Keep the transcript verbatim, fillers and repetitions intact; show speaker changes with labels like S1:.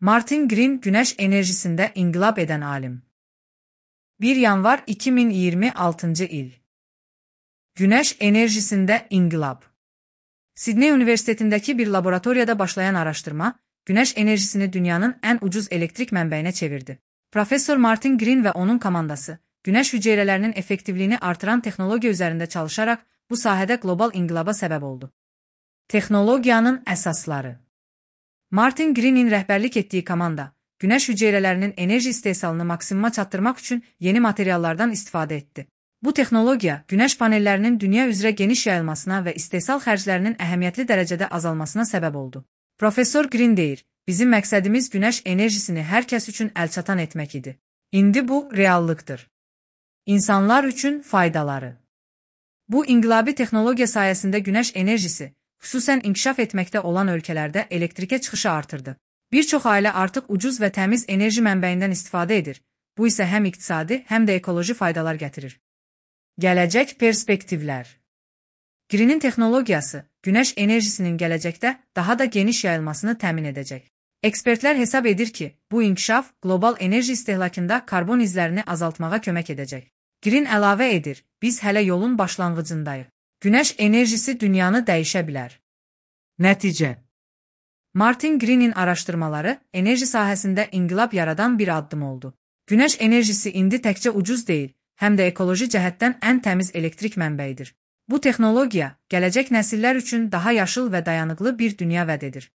S1: Martin Green, güneş enerjisinde inqilab eden alim. bir yanvar iki min iyirmi altıncı il. Güneş enerjisinde inqilab. Sidney Üniversitetindeki bir laboratoriyada başlayan araştırma, güneş enerjisini dünyanın en ucuz elektrik mənbəyinə çevirdi. Profesör Martin Green ve onun komandası, güneş hüceyrələrinin effektivliğini artıran texnologiya üzerinde çalışarak bu sahədə global inqilaba səbəb oldu. Texnologiyanın əsasları. Martin Green'in rəhbərlik etdiyi komanda, güneş hüceyrələrinin enerji istehsalını maksimuma çatdırmaq üçün yeni materiallardan istifadə etdi. Bu texnologiya, güneş panellərinin dünya üzrə geniş yayılmasına ve istehsal xərclərinin əhəmiyyətli dərəcədə azalmasına səbəb oldu. Profesör Green deyir, bizim məqsədimiz güneş enerjisini hər kəs üçün əlçatan etmək idi. İndi bu reallıqdır. İnsanlar üçün faydaları. Bu inqilabi texnologiya sayəsində güneş enerjisi, xüsusən inkişaf etməkdə olan ölkələrdə elektrikə çıxışı artırdı. Bir çox ailə artıq ucuz və təmiz enerji mənbəyindən istifadə edir. Bu isə həm iqtisadi, həm də ekoloji faydalar gətirir. Gələcək perspektivlər. Green'in texnologiyası, güneş enerjisinin gələcəkdə daha da geniş yayılmasını təmin edəcək. Ekspertlər hesab edir ki, bu inkişaf qlobal enerji istehlakında karbon izlərini azaltmağa kömək edəcək. Green əlavə edir, biz hələ yolun başlanğıcındayıq. Güneş enerjisi dünyanı dəyişə bilər. Nəticə. Martin Green'in araşdırmaları enerji sahəsində inqilab yaradan bir addım oldu. Güneş enerjisi indi təkcə ucuz deyil, həm də ekoloji cəhətdən ən təmiz elektrik mənbəyidir. Bu texnologiya gələcək nəsillər üçün daha yaşıl və dayanıqlı bir dünya vəd edir.